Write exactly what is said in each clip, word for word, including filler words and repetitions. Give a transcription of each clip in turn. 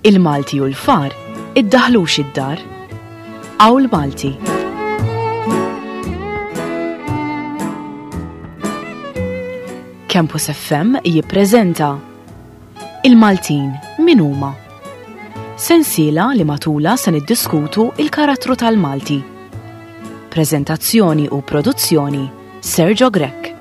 Il-Malti u l-far iddaħlux id-dar. Awl Malti. Campus F M jippreżenta Il-Maltin min huma? Sensiela li matula se niddiskutu il-karattru tal-Malti. Prezentazzjoni u produzzjoni Sergio Grech.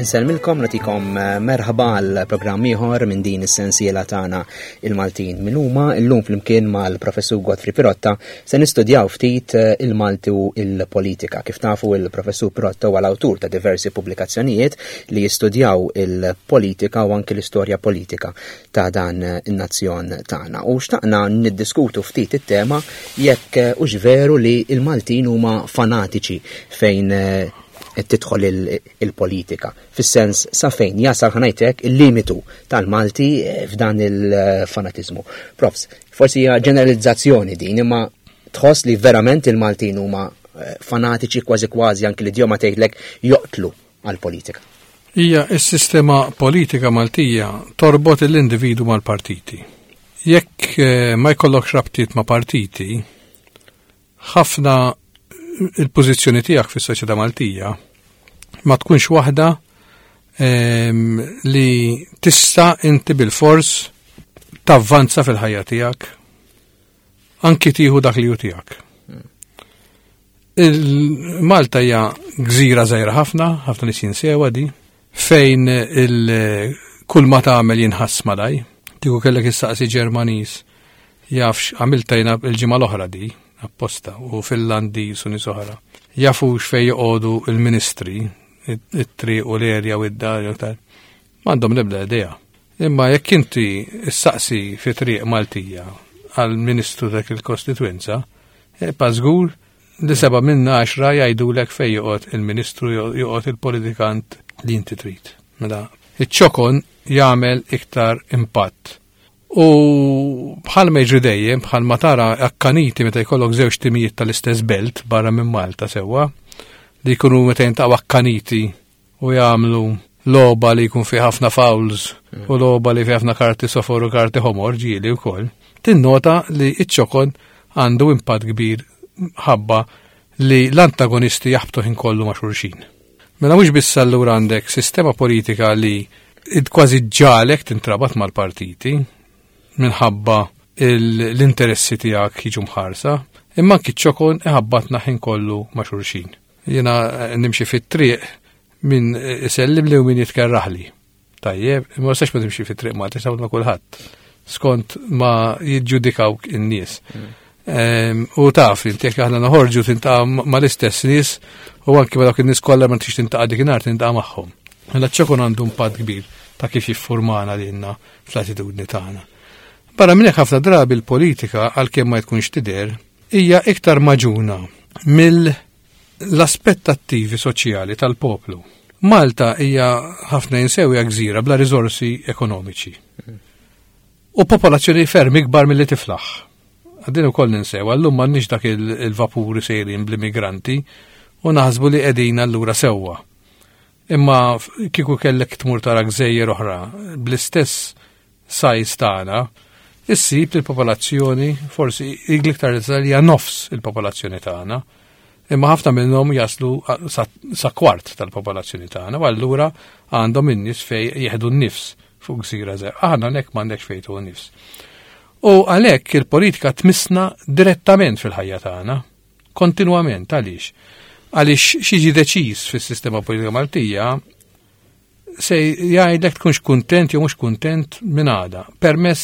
Insellmilkom, nagħtikom merħba għal programm ieħor minn din is-sensiela tagħna Il-Maltin min huma. Illum flimkien mal-Professur Godfrey Pirotta se nistudjaw ftit il-Malti u il-politika. Kif tafu, il-Professur Pirotta huwa l-awtur ta' diversi pubblikazzjonijiet li jistudjaw il-politika u anke l-istorja politika ta' dan in-nazzjon tagħna. U xtaqna niddiskutu ftit it-tema jekk hux veru li il-Maltin huma fanatiċi fejn qed tidħol il-politika. Fis-sens sa fejn jasal ħanajtek il-limitu tal-Malti f'dan il-fanatiżmu. Profs, forsi hija ġeneralizzazzjoni din, imma tħoss li verament il-Maltin huma fanatiċi kważi kważi anke l-idjoma tgħidlek joqtlu għall-politika. Hija s-sistema politika Maltija torbot l-individu mal-partiti. Jekk ma jkollokx rabtiet ma' partiti, ħafna il-pożizzjoni tiegħek fis-soċjetà Maltija ma tkunx waħda ehm, li tista' inti bil-fors tavvanza fil-ħajja tiegħek, anki tieħu dak li hu tiegħek. Il-Malta hija gżira żgħira ħafna, ħafna nies jinsewha di, fejn il kull ma tagħmel jinħass malaj. Tieħu kellek issaqsi Ġermaniż jafx għamilta jiena l-ġimgħa l-oħra di, apposta, u Finlandiż u nies oħra. Jafux fejn joqogħdu il-ministri, it-triq u l-erja u id-dar, jew tal. M'għandhom l-ebda idea. Imma jekk inti issaqsi fi triq Maltija għal-ministru dak il-kostituenza, pa żgur li seba' minn għaxra jgħidulek fejn joqgħod il-ministru, joqgħod il-politikant li inti trid. Mela, iċ-ċokon jagħmel iktar impatt. U bħal ma jiġri dejjem, bħal ma tara akkaniti meta jkollok żewġ timijiet tal-istess belt barra minn Malta sewwa, li jkunu meta jintaqgħu akkaniti u jagħmlu logħba li jkun fi ħafna fouls Mm. u logħba li fi ħafna karti sofor u karti ħomor ġieli wkoll, tinnota li iċ-ċokon għandu impatt kbir ħabba li l-antagonisti jaħbtu ħin kollu ma' xulxin. Mela mhux biss allura għandek sistema politika li kważi ġalek tintrabat mal-partiti minħabba il-, l-interessi tiegħek jiġu mħarsa, imma anki ċ-ċokon iħabbatna ħin kollu ma' xulxin. Jiena nimxi fit-triq min isellim li u min jitkerraħli. Tajjeb, imma ma tistax ma timxi fit-triq ma tista' ma' kulħadd. Skont ma jiġġudikawk in-nies. Mm. Ehm, u taf li inti jekk aħna noħorġu tintaqa' ma-, mal-istess nies u anki ma dawk in-nies kollha ma tix tintaqa' dik inhar tintaqa' magħhom. Mela ċ-ċokon għandu impatt kbir ta' kif jiffurmana lilna fl-attitudni tagħna. Barra minn hekk ħafna drabi l-politika għalkemm ma tkunx tidher hija iktar maġuna mill-aspettattivi soċjali tal-poplu. Malta hija ħafna jinsew hija gżira bla riżorsi ekonomiċi. U popolazzjoni ferm ikbar milli tiflaħ. Għaddin ukoll ninsew, għallum m'għandniex dak il-, il-vapuri sejrin bl-immigranti u naħsbu li qegħdin allura sewwa. Imma f-, kieku kellek tmur tara gżejjer oħra bl-istess size tagħna, issib li l-popolazzjoni forsi iktar li hija nofs il-popolazzjoni tagħna, imma ħafna minnhom jaslu sa, sa kwart tal-popolazzjoni tagħna, u allura għandhom in-nies fejn jieħdu n-nifs fuq gżira żgħira. Aħna hekk m'għandekx fejn tieħu n-nifs. U għalhekk il-politika tmissna direttament fil-ħajja tagħna, kontinwament. Għaliex? Għaliex xi jiġi deċiż fis-sistema politika Maltija se jgħidlek tkunx kuntent jew mhux kuntent minn għada, permess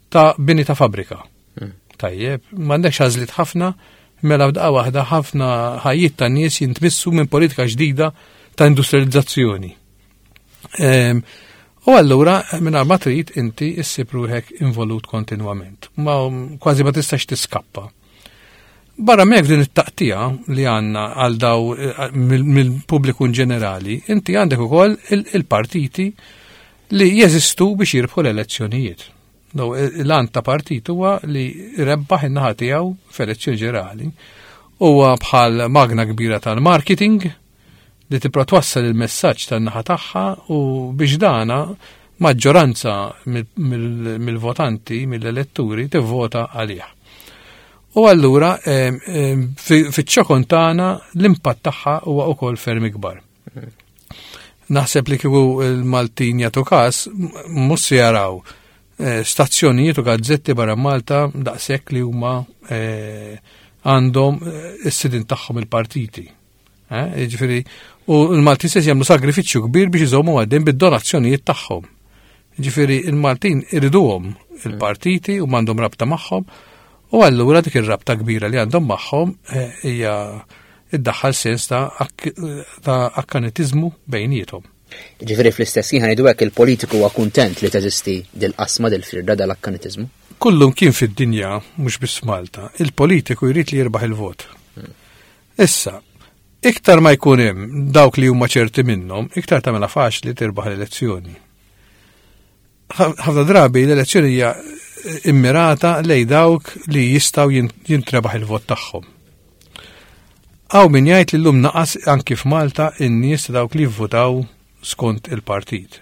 ta' bini ta' fabbrika. Mm. Tajjeb, m'għandekx għażliet ħafna, mela f'daqqa waħda ħafna ħajjiet ta' nies jintmissu minn politika ġdida ta' industrializzazzjoni. Ehm, u allura mingħajr ma trid inti issib ruħek involut kontinwament. Ma kważi ma tistax tiskappa. Barra minn hekk din it-taqtija li għandna għal daw, eh, mill-, mill-pubbliku in ġenerali, inti għandek ukoll il-, il-partiti li jeżistu biex jirbħu l-elezzjonijiet. No, l-għan ta' partit huwa li rebbaħ in-naħa tiegħu f'elezzjoni ġenerali. Huwa bħal magna kbira tal-marketing li tipprova twassal il-messaġġ tan-naħa tagħha u biex dana maġġoranza mill-votanti, mill-elettori, tivvota għalih. U allura fiċ-ċokon tagħna l-impatt tagħha huwa wkoll ferm ikbar. Naħseb li kieku l-Maltin jagħtu każ mhux se jaraw eh, stazzjonijiet u gazzetti barra Malta daqshekk li huma eh, għandhom eh, is-sidin tagħhom il-partiti. Jiġifieri, u l-Maltin se jagħmlu sagrifiċċju kbir biex iżommu għaddejn bid-donazzjonijiet tagħhom. Jiġifieri il-Maltin iriduhom il-partiti u m'għandhom rabta magħhom u allura dik ir-rabta kbira li għandhom magħhom hija iddaħħal sens ta' akkanitiżmu bejniethom. Ġifieri fl-istess ħin ngħidu hekk il-politiku huwa kuntent li teżisti dil-qasma dil-firda dal-akkanitiżmu. Kullum kien fid-dinja, mhux biss Malta, il-politiku jrid li jirbaħ il-vot. Issa, iktar ma jkun hemm dawk li huma ċerti minnhom, iktar tagħmilha faċli tirbaħ l-elezzjoni. Ħafna drabi l-elezzjoni hija immirata lej dawk li jistgħu jintrebaħ il-vot tagħhom. Hawn min jgħid li llum naqas anki f'Malta in-nies dawk li jivvutaw skont il-partit.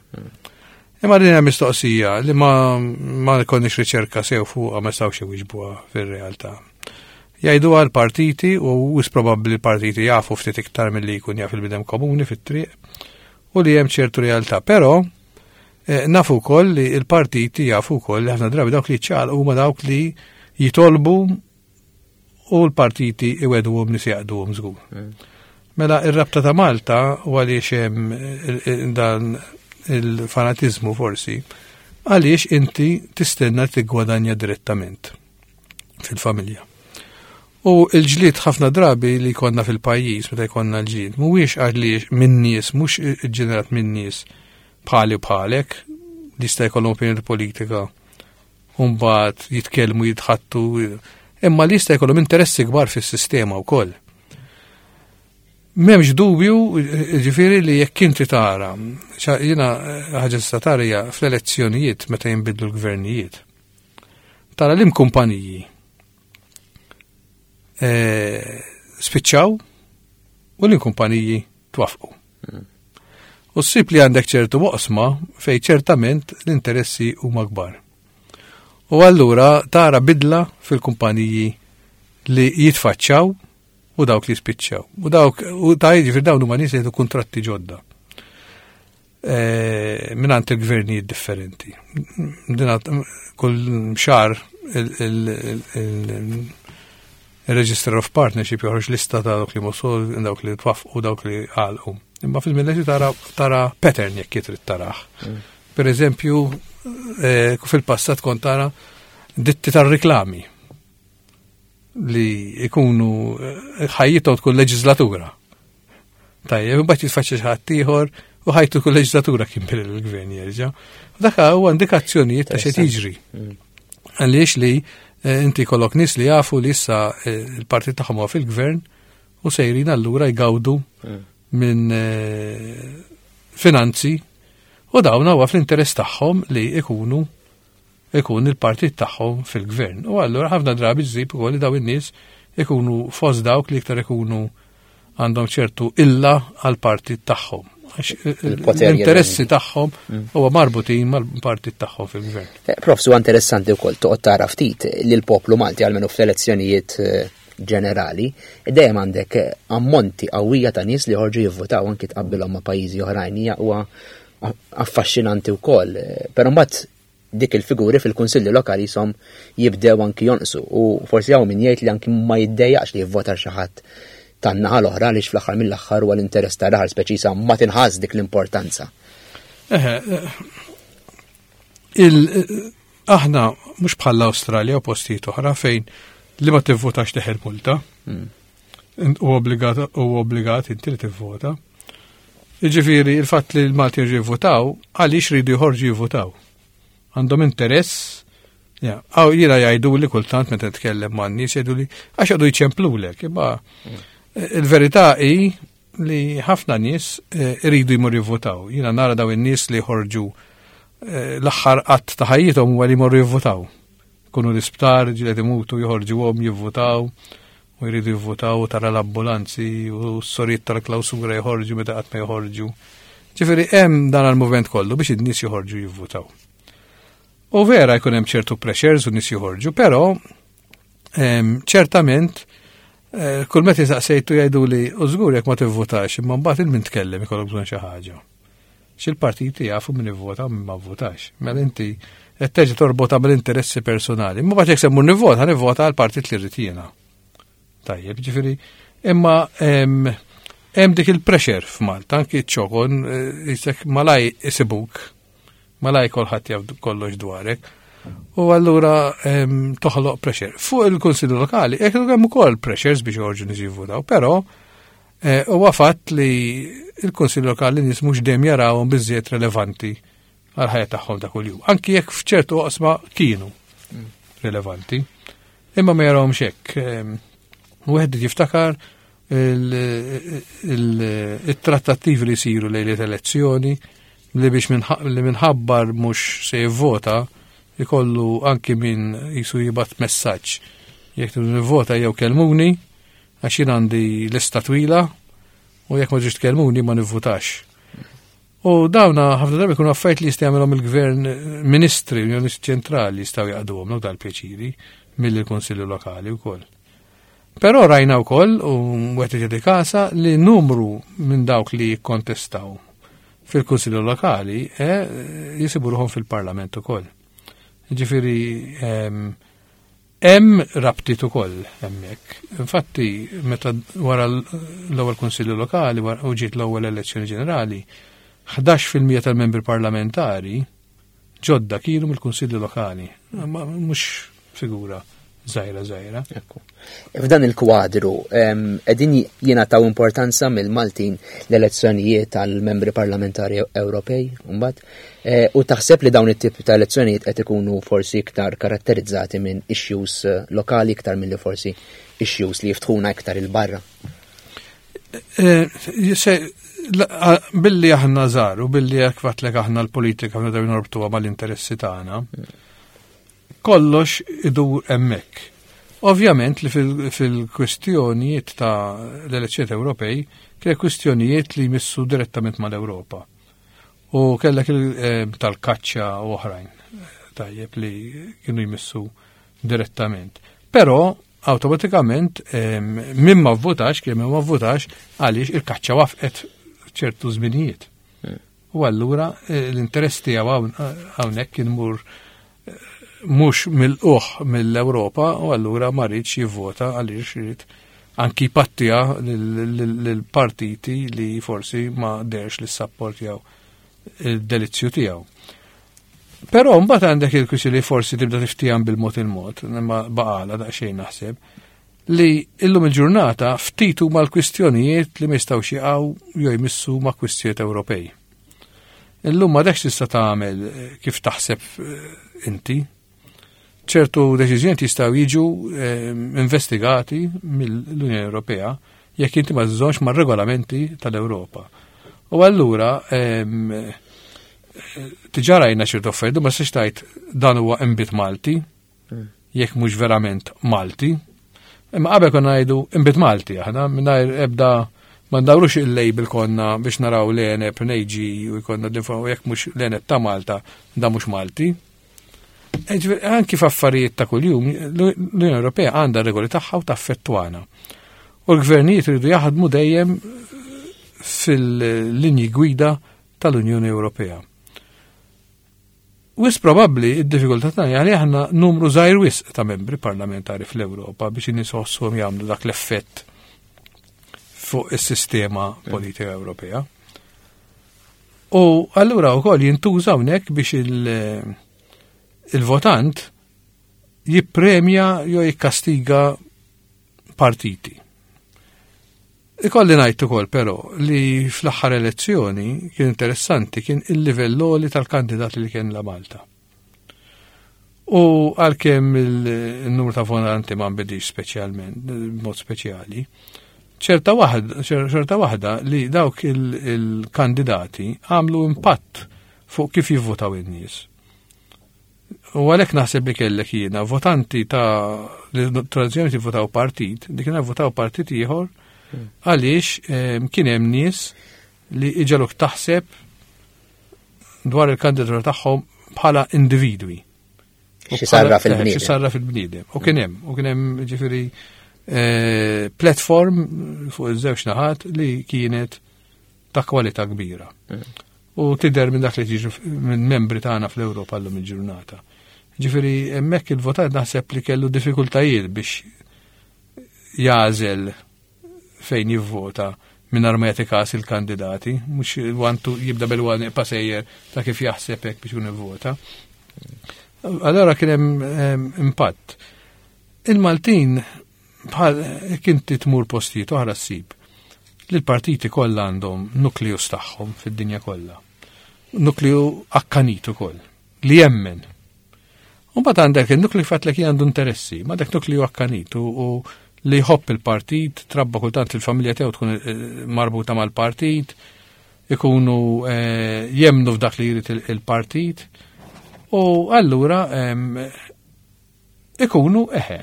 Imma din hija mistoqsija li ma ma jkollniex riċerka sew fuqha ma jistgħux iwiġbuha fir-realtà. Jgħidu għal partiti u wis probabbli l-partiti jafu ftit iktar milli jkun jaf il-bidem komuni fit-triq u li hemm ċertu realtà, però eh, nafu wkoll li l-partiti jafu wkoll li ħafna drabi dawk li ċaqalqu huma dawk li jitolbu u l-partiti iweduhom nies jaqduhom żgur. Mela ir-rabta ta' Malta u għaliex hemm dan il-fanatizmu forsi, għaliex inti tistenna tiggwadanja direttament fil-familja. U l-ġlied ħafna drabi li jkollna fil-pajjiż meta jkollna l-ġlied mhuwiex għaliex minn nies, mhux ġenerat minn nies bħali u bħalek li jista' jkollhom opinjoni politika u mbagħad jitkellmu jitħattu, imma li jista' jkollhom interessi kbar fis-sistema wkoll. M'hemmx dubju, ġifieri li jekk inti tara, jiena ħaġa tista' tara hija fl-elezzjonijiet meta jinbidlu l-gvernijiet. Tara li kumpaniji spiċċaw u li kumpaniji twafqu. U ssib li għandek ċertu waqsma fej ċertament l-interessi huma kbar. U allura tara bidla fil-kumpaniji li jitfaċċaw u dawk li spiċċaw. U dawk u ta' jiġifieri dawn huma nies jieħdu kuntratti ġodda. E, mingħand il-gvernijiet differenti. Din kull xahar il-Register of Partnership joħroġ lista ta' dawk li mosol, dawk li twaffqu, dawk li għalqu. Imma fil-mill tara tara pattern jekk trid tarah. Per eżempju, fil-passat kont tara ditti tar-reklami li ikunu ħajjithom tkun leġislatura. Tajjeb, imbagħad jitfaċċa xi ħadd ieħor u ħajtu tkun leġislatura kien bil il-gvern jerġa'. Dak huwa indikazzjonijiet ta' x'qed jiġri. Għaliex li inti kollok nies li jafu li issa il-partit tagħhom huwa fil-gvern u sejrin allura jgawdu minn finanzi u dawn huwa fl-interess tagħhom li ikunu ikun il-partit tagħhom fil-gvern. U allura ħafna drabi ġżib ukoll li daw in-nies ikunu fost dawk li iktar ikunu għandhom ċertu illa għal-partit tagħhom. L-interessi tagħhom huwa marbutin mal-partit tagħhom fil-gvern. Prof, huwa interessanti wkoll toqgħod tara ftit li l-poplu Malti għalmenu fl-elezzjonijiet ġenerali, dejjem għandek ammonti qawwija ta' nies li ħorġu jivvotaw anki tqabbilhom ma' pajjiżi oħrajn hija huwa affaxxinanti wkoll. Però mbagħad dik il-figuri fil-kunsilli lokali jisom jibdew anki jonqsu u forsi hawn min jgħid li anki ma jiddejjaqx li jivvota xi ħadd tan-naħa l-oħra għaliex fl-aħħar mill-aħħar huwa l-interess ta' raħal speċi sa ma tinħass dik l-importanza. Eħe, aħna mhux bħall-Awstralja u postijiet oħra fejn li ma tivvotax teħel multa. U obbligat u obbligat inti li tivvota. Jiġifieri il-fatt li l-Malti jivvotaw għaliex ridu jħorġu jivvotaw. Għandhom interess. Għaw jiena jgħidu li kultant meta nitkellem man nies jgħidu li għax għadu jċemplulek, imma il-verità hi li ħafna nies iridu jmorru jivvotaw. Jiena nara daw in-nies li jħorġu l-aħħar qatt ta' ħajjithom huwa li jmorru jivvotaw. Kunu l-isptar, ġilet imutu, joħorġuhom jivvotaw U jridu jivvotaw u tara l-ambulanzi u s-sorijiet tal-klawsura joħorġu meta qatt ma joħorġu. Ġifieri hemm dan il-movement kollu biex in-nies joħorġu jivvotaw. U vera jkun hemm ċertu pressures u nies joħorġu, però ċertament eh, kull meta saqsejtu jgħidu li u żgur jekk ma tivvotax, imma mbagħad il min tkellem ikollok bżonn xi ħaġa. Xil-partiti jafu min ivvota u min ma vvotax. Mela inti qed terġa' torbota bil-interessi personali. Imma mbagħad jekk se mmur nivvota, nivvota għal partit li rrid jiena. Tajjeb, ġifieri, imma hemm dik il-pressure f'Malta, anki ċ-ċokon, eh, malaj isibuk, malaj kolħadd jaf kollox dwarek. U allura toħloq pressure. Fuq il-Kunsillu Lokali, jekk hemm ukoll pressures biex joħorġu nies jivvutaw, però eh, huwa fatt li il-Kunsillu Lokali nies mhux dejjem jarawhom biżżejjed relevanti għal ħajja tagħhom ta' kuljum. Anki jekk f'ċertu oqsma kienu rilevanti. Imma ma jarawhomx hekk. Wieħed jiftakar il-trattattivi li jsiru lejliet elezzjoni li biex li minħabbar mhux se jivvota ikollu anki min jisu jibgħat messaġġ. Jekk tridu nivvota jew kelmuni, għax jien għandi lista twila u jekk ma ġiex tkellmuni ma nivvutax. U dawna ħafna drabi jkunu affarijiet li jista' jagħmilhom il-gvern, ministri, l-Unjoni ċentrali jistgħu jaqduhom dal-pjaċiri mill-Kunsilli Lokali wkoll. Però rajna wkoll u wieħed jagħti kasa li numru minn dawk li jikkontestaw fil-Kunsilli Lokali eh, jisibu ruħhom fil-Parlament ukoll. Ġifieri hemm rabtiet ukoll hemmhekk. Infatti, meta wara l-ewwel Kunsilli Lokali u ġiet l-ewwel elezzjoni ġenerali, ħdax fil-mija tal-membri parlamentari ġodda kienu mill-Kunsilli Lokali. Ma mhux figura żgħira żgħira. Ekku. F'dan il-kwadru, qegħdin jingħataw importanza mill-Maltin l-elezzjonijiet tal-membri parlamentari Ewropej, mbagħad, eh, u taħseb li dawn it-tip ta' elezzjonijiet qed ikunu forsi iktar karatterizzati minn issues eh, lokali iktar milli forsi issues li jiftħuna iktar il-barra? Eh, billi aħna żgħar u billi jekk għedtlek aħna l-politika f'na norbtuha mal-interessi tagħna, kollox idur hemmhekk. Ovvjament li fil-kwistjonijiet ta' l-elezzjonijiet Ewropej kien kwistjonijiet li jmissu direttament mal-Ewropa. U kellek eh, tal-kaċċa u oħrajn tajjeb li kienu jmissu direttament. Però awtomatikament min ma vvotax, kien min ma vvotax għaliex il-kaċċa waqfet ċertu żminijiet. Hmm. U allura eh, l-interess tiegħu hawnhekk kien mur eh, mhux mill-uħ mill-Ewropa u allura ma riedx jivvota għaliex irid anki pattija lill-partiti li forsi ma derx li sapportjaw il-delizzju tiegħu. Però mbagħad għandek il-kwistjoni li forsi tibda tiftijam bil-mod il-mod, imma baqala daqsxejn naħseb, li illum il-ġurnata ftit huma l-kwistjonijiet li ma jistgħux jaqgħu jew jmissu ma' kwistjonijiet Ewropej. Illum ma dekx tista' tagħmel kif taħseb eh, inti. Ċertu deċiżjonijiet jistgħu jiġu eh, investigati mill-Unjoni Ewropea jekk inti ma żżommx mar-regolamenti tal-Ewropa. U allura diġà rajna ċertu affarijiet, ma tistax tgħid dan huwa inbid Malti, jekk mhux verament Malti. Imma qabel konna ngħidu inbid Malti aħna mingħajr ebda ma ndawrux il-label konna biex naraw l-għeneb nejġi u jkollna l-info jekk mhux l-għeneb ta' Malta da mhux Malti. Anki f'affarijiet ta' kuljum, l-Unjoni Ewropea għandha regoli tagħha u taffettwana. U l-gvernijiet iridu jaħdmu dejjem fil-linji gwida tal-Unjoni Ewropea. Wisq probabbli id-diffikultà tagħna li aħna numru żgħir wisq ta' membri parlamentari fl-Ewropa biex in-nies jħossuhom jagħmlu dak l-effett fuq is-sistema politika Ewropea. U allura wkoll jintuża hawnhekk biex il-votant jippremja jew jikkastiga partiti. Ikolli ngħid ukoll però li fl-aħħar elezzjoni kien interessanti kien il-livell għoli tal-kandidati li kien la Malta. U għalkemm il-numru ta' votanti ma nbidix speċjalment, b'mod speċjali, ċerta waħda, ċerta waħda li dawk il-kandidati għamlu impatt fuq kif jivvotaw in-nies. U għalhekk naħseb li kellek jiena votanti ta' li tradizzjoni votaw partit, li kienu votaw partit ieħor għaliex kien hemm nies li iġaluk taħseb dwar il-kandidatura tagħhom bħala individwi. Xi sarra fil-bniedem. Xi sarra fil-bniedem. U kien hemm, u kien hemm ġifieri platform fuq iż-żewġ naħat li kienet ta' kwalità kbira. U tidher minn dak li tiġu minn membri tagħna fl-Ewropa llum il-ġurnata. Ġifieri hemmhekk il-votant naħseb li kellu diffikultajiet biex jagħżel fejn jivvota mingħajr ma jagħti każ il-kandidati, mhux wantu jibda bil-one pasejjer ta' kif jaħseb hekk biex jivvota. Allora kien hemm impatt. Il-Maltin bħal jekk inti tmur postijiet oħra ssib li l-partiti kollha għandhom nukleus tagħhom fid-dinja kollha. Nukleu akkanit ukoll li jemmen. U mbagħad għandek il-nukleu fatt li għandu interessi, ma dak nukleu akkanit u li jħobb il-partit, trabba kultant il-familja tiegħu tkun marbuta mal-partit, ikunu jemnu f'dak li jrid il-partit, u allura ikunu eħe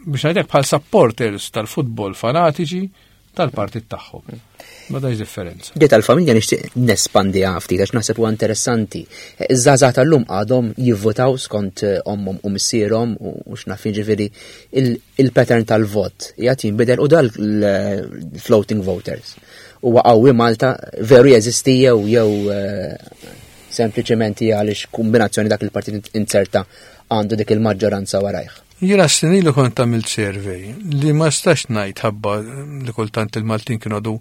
biex ngħidlek bħal supporters tal-futbol fanatiċi tal-partit tagħhom. Ma dax differenza. Di tal-familja nixtieq nespandiha ftit għax naħseb huwa interessanti. Iż-żgħażagħ tal-lum għadhom jivvotaw skont ommhom u missierhom u x'naf jiġifieri il-pattern tal-vot qiegħed jinbidel u dal floating voters. Huwa qawwi Malta veru jeżisti jew jew sempliċement hija għaliex kombinazzjoni dak il-partit inzerta għandu dik il-maġġoranza warajh. Jiena snin ilu kont għamilt survey li ma stax ngħid ħabba li kultant il-Maltin kienu għadu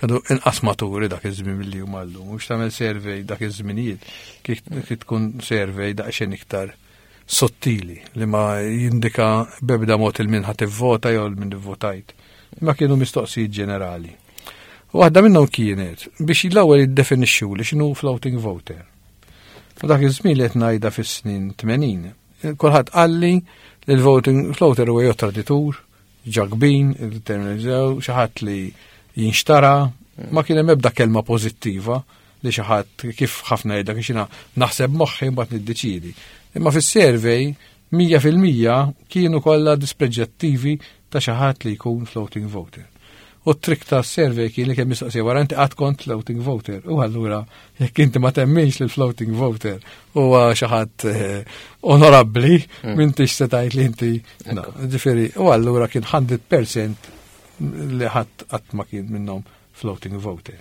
kienu inqas maturi dak iż-żmien milli huma llum. Mhux tagħmel survey dak iż-żminijiet kif tkun survey daqsxejn iktar sottili li ma jindika b'ebda mod il-min ħadd ivvota jew il-min ivvotajt. Ma kienu mistoqsijiet ġenerali. U waħda minnhom kienet biex l-ewwel jiddefinixxu li x'inhu floating voter. U dak iż-żmien li qed ngħidha fis-snin tmenin, kulħadd qalli li l-voting floater huwa jew traditur, ġagbin, il-terminalizzaw, xi ħadd li jinxtara, ma kien hemm ebda kelma pożittiva li xi ħadd kif ħafna jgħidlek biex jiena naħseb moħħi mbagħad niddeċiedi. Imma fis-survey mija fil-mija kienu kollha dispreġġattivi ta' xi ħadd li jkun floating voter. U t-trik ta' survey kien li kemm mistoqsija wara inti qatt kont floating voter. U allura jekk inti ma temminx li floating voter huwa xi ħadd onorabbli, m'intix se tgħid li inti. Ġifieri, u allura kien hundred percent li ħadd qatt ma kien minnhom floating voter.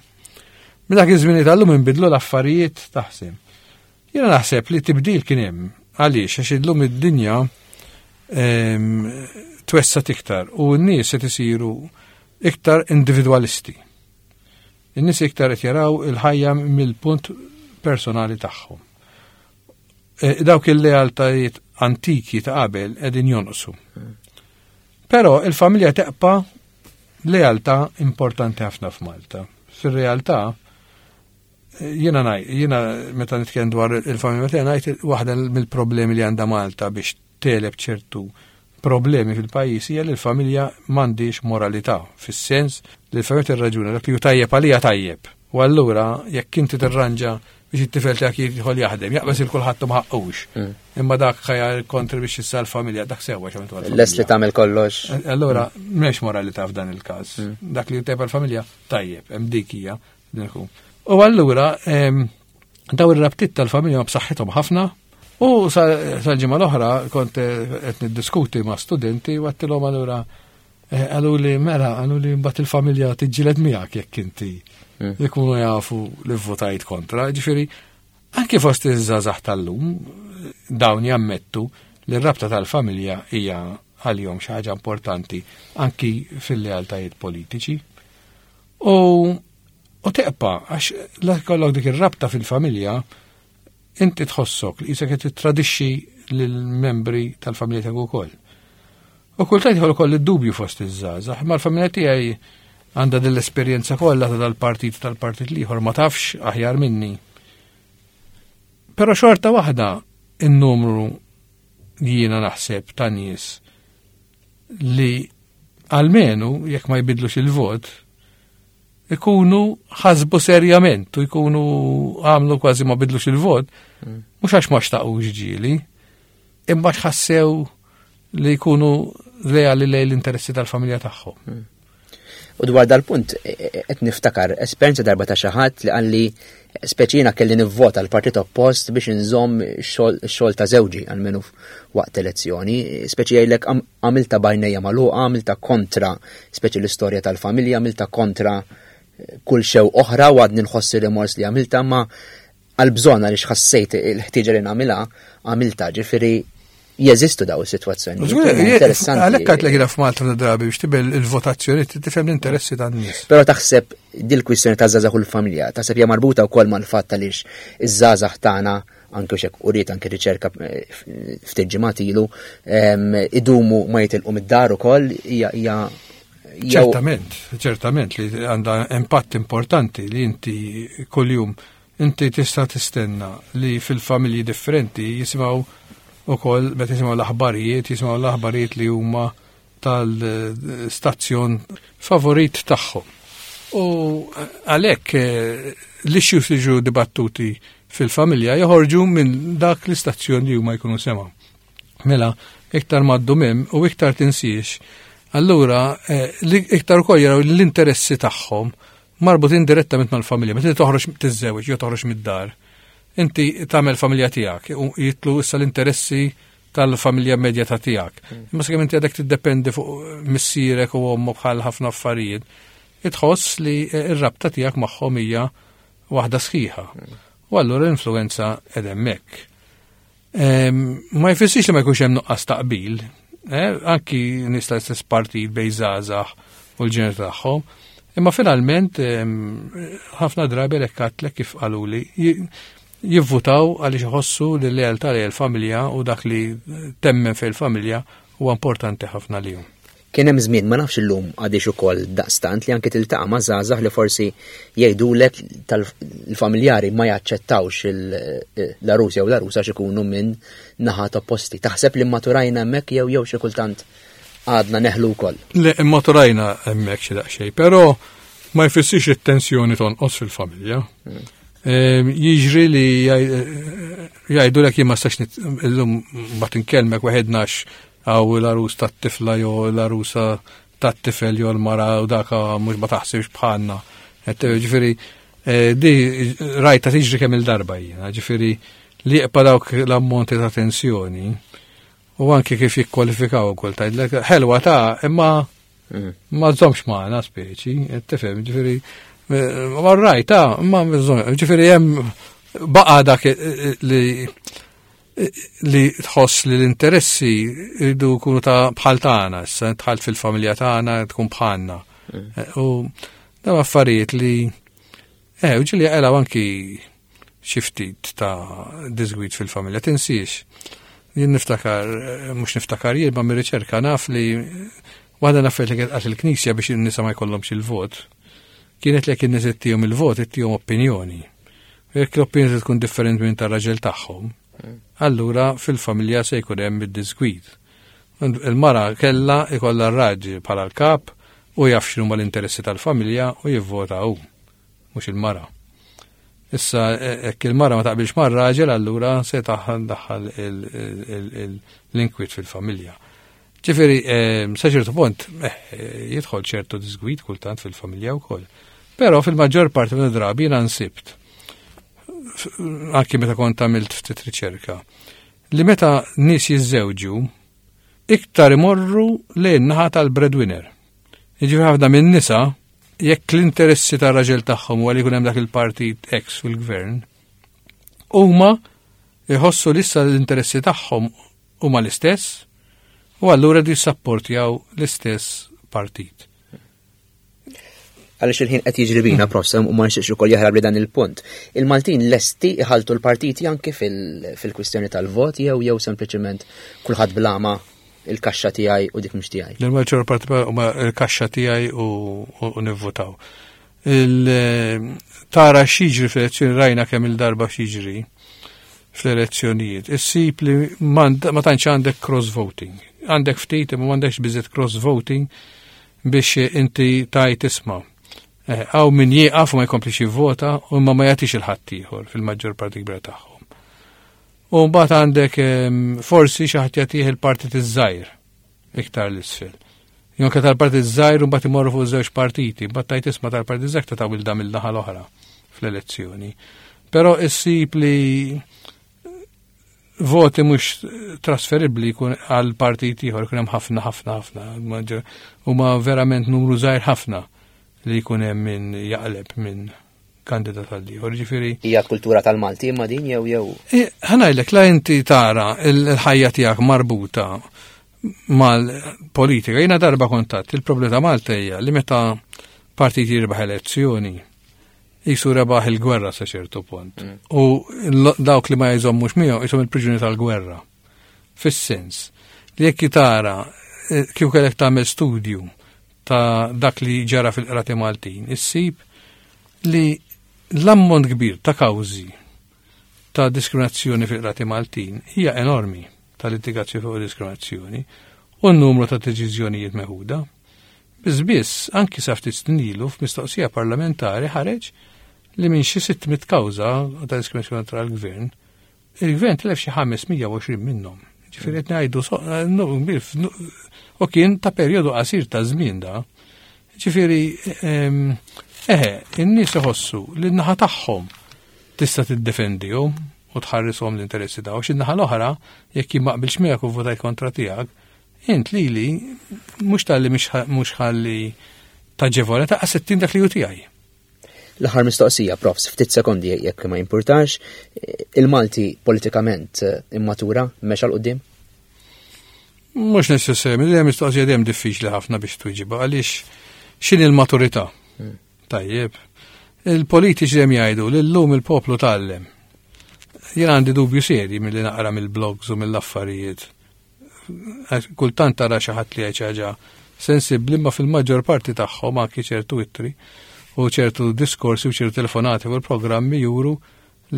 Minn dak iż-żmien tal-lum inbidlu l-affarijiet taħseb. Jiena naħseb li tibdil kien hemm għaliex għax illum id-dinja twessat iktar u n-nies qed isiru iktar individualisti. In-nies iktar qed jaraw il-ħajja mill-punt personali tagħhom. Dawk il-lealtajiet antiki ta' qabel qegħdin jonqsu. Però il-familja teqpa' lealtà importanti ħafna f'Malta. Fir-realtà jiena ngħid, jiena meta nitkellem dwar il-familja tiegħi ngħid waħda mill-problemi li għandha Malta biex teleb ċertu problemi fil-pajjiż hija li l-familja m'għandix moralità, fis-sens li l-familja tirraġuna dak li hu tajjeb għalija tajjeb. U allura jekk inti tirranġa biex it-tifel tiegħek jidħol jaħdem, jaqbeż il kulħadd ma ħaqqux. Imma dak ħajja kontribwixxi issa l-familja, dak sewwa x'għamiltu għall-familja. Lest li tagħmel kollox. Allura m'hemmx moralità f'dan il-każ. Dak li tajjeb għall-familja tajjeb, hemm dik hija. U allura daw ir-rabtiet tal-familja ma b'saħħithom ħafna. U sal-ġimgħa l-oħra kont qed niddiskuti ma' studenti u għedtilhom allura qalu li mela, qalu li mbagħad il-familja tiġġieled miegħek jekk inti ikunu jafu li votajt kontra. Ġifieri, anke fost iż-żgħażagħ tal-lum dawn jammettu li r-rabta tal-familja hija għalihom xi ħaġa importanti anki fil-lealtajiet politiċi. U, u teqpa' għax la jkollok dik ir-rabta fil-familja inti tħossok li qisek qed tittradixxi lill-membri tal-familja tiegħek ukoll. U kultant jħol ukoll id-dubju fost iż-żgħażagħ, imma l-familja tiegħi għandha din l-esperjenza kollha ta' dal-partit tal-partit l-ieħor ma tafx aħjar minni. Però xorta waħda in-numru li jiena naħseb ta' nies li almenu jekk ma jbidlux il-vot Ikunu ħasbu serjament u jkunu għamlu kważi ma bidlux il-vot, mhux għax ma xtaqux ġieli, imma ħassew li jkunu leali lejn l-interessi tal-familja tagħhom. U dwar dal-punt, qed niftakar esperjenza darba ta' xi ħadd li qalli speċi jiena kelli nivvota l-partit oppost biex inżomm xogħol ta' żewġi għalmenu waqt elezzjoni, speċi jgħidlek għamilta b'għajnejja magħluqa, għamilta kontra speċi l-istorja tal-familja, għamilta kontra kull xew oħra u għadni nħossi rimors li għamilta, ma għal-bżonn għaliex ħassejt il-ħtieġa li nagħmilha, għamilta, ġifieri jeżistu daw is-sitwazzjoni. Interessanti. Għalhekk għedt li f'Malta drabi biex tibel il-votazzjoni tifhem l-interessi tan-nies. Però taħseb dil-kwistjoni ta' żgħażagħ u l-familja, taħseb hija marbuta wkoll mal-fatt għaliex iż-żgħażagħ tagħna anke xek uriet anke riċerka ftit ġimgħat ilu idumu ma jitilqu mid-dar ukoll hija hija Ċertament, ċertament li għandha impatt importanti li inti kuljum inti tista' tistenna li fil-familji differenti jisimgħu ukoll meta jisimgħu l-aħbarijiet, jisimgħu l-aħbarijiet li huma tal-stazzjon favorit tagħhom. U għalhekk l-issues li ġew dibattuti fil-familja joħorġu minn dak l-istazzjon li huma jkunu semgħu. Mela, iktar maddu mem u iktar tinsiex, allura iktar ukoll jaraw l-interessi tagħhom marbutin direttament mal-familja. Meta toħroġ tiżżewweġ jew toħroġ mid-dar, inti tagħmel familja tiegħek u jitlu issa l-interessi tal-familja immedjata tiegħek. Imma sakemm inti għadek tiddependi fuq missierek u ommok bħal ħafna affarijiet, itħoss li r-rabta tiegħek magħhom hija waħda sħiħa. U allura l-influenza qed hemmhekk. Ma jfissirx li ma jkunx hemm nuqqas taqbil, anki nies tal-istess partit bejn żgħażagħ u l-ġener tagħhom, imma finalment ħafna drabi għalhekk għedtlek kif qaluli jivvutaw għaliex iħossu li l-lealtà lejn il-familja u dak li temmen fil-familja huwa importanti ħafna lihom. Kien hemm żmien ma nafx illum għadix ukoll daqstant li anke tiltaqa' ma' żgħażagħ li forsi jgħidulek tal-familjari ma jaċċettawx l-għarus jew l-għarusa għax ikunu minn naħat opposti. Taħseb li maturajna hemmhekk jew jew xi kultant għadna neħlu wkoll? Le, maturajna hemmhekk xi daqsxejn, però ma jfissirx it-tensjoni tonqos fil-familja. Jiġri li jgħidulek jien ma stax illum ma tinkellmek waħednax għaw l-għarus tat-tifla jew l-għarusa tat-tifel jew l-mara u daka mhux ma taħsibx bħalna. Ġifieri, di rajta tiġri kemm il-darba jiena, ġifieri li jibqa' dawk l-ammonti ta' tensjoni u anke kif jikkwalifikaw ukoll tgħidlek ħelwa ta' imma ma żommx magħna speċi, tifhem, ġifieri ma rajta, ma ġifieri hemm baqa' dak li li tħoss li l-interessi jridu jkunu ta' bħal tagħna, issa dħalt fil-familja tagħna tkun bħalna. U dawn affarijiet li eh u ġieli jaqilgħu anki xi ftit ta' disgwid fil-familja, tinsiex. Jien niftakar, mhux niftakar jien ma mir-riċerka naf li waħda l-affarijiet li kienet qalt il-Knisja biex in-nisa ma jkollhomx il-vot, kienet li jekk in-nies ittihom il-vot, ittihom opinjoni. Jekk l-opinjoni tkun differenti minn tar-raġel tagħhom, allura fil-familja se jkun hemm id-disgwid. Il-mara kella ikollha r-raġel bħala l-kap u jaf x'inhuma l-interessi tal-familja u jivvota hu, mhux il-mara. Issa jekk il-mara ma taqbilx mar-raġel, allura se daħħal l-inkwiet fil-familja. Ġifieri, sa ċertu punt, jidħol ċertu disgwid kultant fil-familja wkoll. Però fil-maġġor parti minn drabi jiena nsibt, anki meta kont għamilt ftit riċerka, li meta nies jiżżewġu iktar imorru lejn naħa tal-breadwinner. Jiġifieri ħafna minn nisa jekk l-interessi tar-raġel tagħhom huwa li jkun hemm dak il-partit X fil-gvern, huma jħossu li issa l-interessi tagħhom huma l-istess u allura jridu jissapportjaw l-istess partit. Għaliex il-ħin qed jiġri bina, Profs, u ma nixtieqx ukoll jaħrab li dan il-punt. Il-Maltin lesti iħaltu l-partiti anke fil-kwistjoni tal-vot jew jew sempliċement kulħadd blama il-kaxxa tiegħi u dik mhux tiegħi. Il-maġġor parti huma il-kaxxa tiegħi u nivvotaw. Tara x'jiġri fl-elezzjoni, rajna kemm il-darba x'jiġri fl-elezzjonijiet. Issib li ma tantx għandek cross-voting. Għandek ftit imma m'għandekx biżżejjed cross-voting biex inti tajt isma'. Hawn min jieqaf u ma jkomplix jivvota u imma ma jagħtix il-ħadd ieħor fil-maġġor parti kbira tagħhom. U mbagħad għandek forsi xi ħadd jagħtih il-partit iż-żgħir iktar l-isfel. Jonka tal-partit żgħir u mbagħad imorru fuq żewġ partiti, mbagħad tajt isma' tal-partit żgħir ta' tawil dam il-naħa l-oħra fl-elezzjoni. Però issib li voti mhux trasferibbli jkun għal partit ieħor jkun hemm ħafna ħafna ħafna. Huma verament numru żgħir ħafna li jkun hemm min jaqleb minn kandidat għal ieħor. Ġifieri Hija kultura tal-Malti imma din jew jew. Ħa ngħidlek la inti tara l-ħajja tiegħek marbuta mal-politika. Jiena darba kontat, il-problema ta' Malta hija li meta partit jirbaħ elezzjoni, jisu rebaħ il-gwerra sa ċertu punt. Mm. U dawk li ma jżommux miegħu jisom il-priġuni tal-gwerra. Fis-sens li jekk tara eh, kif kellek tagħmel studju ta' dak li ġara fil-qrati Maltin, issib li l-ammont kbir ta' kawżi ta' diskriminazzjoni fil-qrati Maltin hija enormi, ta' litigazzjoni fuq diskriminazzjoni u n-numru ta' deċiżjonijiet meħuda. Biss biss, anki sa ftit snin ilu f'mistoqsija parlamentari ħareġ li minn xi sitt mitt kawża ta' diskriminazzjoni kontra l-gvern, il-gvern tilef xi ħames mija u għoxrin minnhom. Ġifieri qed ngħidu u kien ta' perjodu qasir ta' żmien da. Ġifieri eħe, in-nies iħossu li n-naħa tagħhom tista' tiddefendihom u tħarrishom l-interessi tagħhom. Xi naħa l-oħra, jekk jien ma qbilx miegħek u votajt kontra tiegħek, int lili mhux talli mhux ħalli taġevola ta' sittin dak li hu tiegħi. L-aħħar mistoqsija, profs, ftit sekondi jekk ma jimpurtax, il-Malti politikament immatura mexa 'l quddiem? Mhux neċessarjament, hija mistoqsija dejjem diffiċli ħafna biex twieġibha għaliex x'inhi l-maturità? Hmm. Tajjeb. Il-politiċi dejjem jgħidu li llum il-poplu tgħallem. Jien għandi dubju serji milli naqra mill-blogs u mill-affarijiet. Kultant tara xi ħadd li jgħid xi ħaġa sensibbli, ma fil-maġġor parti tagħhom anki ċertu ittri u ċertu diskorsi u ċertu telefonati u l-programmi juru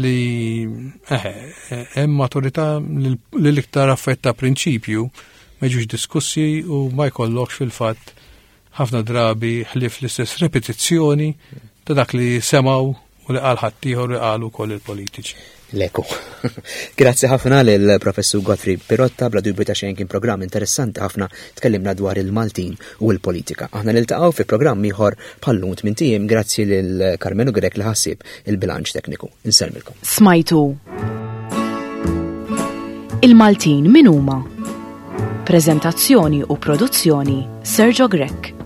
li eħe, hemm maturità li l-iktar affett ta' prinċipju ma jiġux diskussi u ma jkollokx fil-fatt ħafna drabi ħlief l-istess repetizzjoni ta' dak li semaw u li qal ħaddieħor li qalu wkoll il-politiċi. Leku. Grazzi ħafna lil Professur Godfrey Pirotta, bla dubju ta' xejn kien programm interessanti ħafna, tkellimna dwar il-Maltin u l-politika. Aħna niltaqgħu fi programm ieħor bħal-lum tmien ijiem, grazzi lil Karmenu Grech li ħassib il-bilanċ tekniku. Insellmilkom. Smajtu Il-Maltin min huma? Prezentazzjoni u produzzjoni Sergio Grech.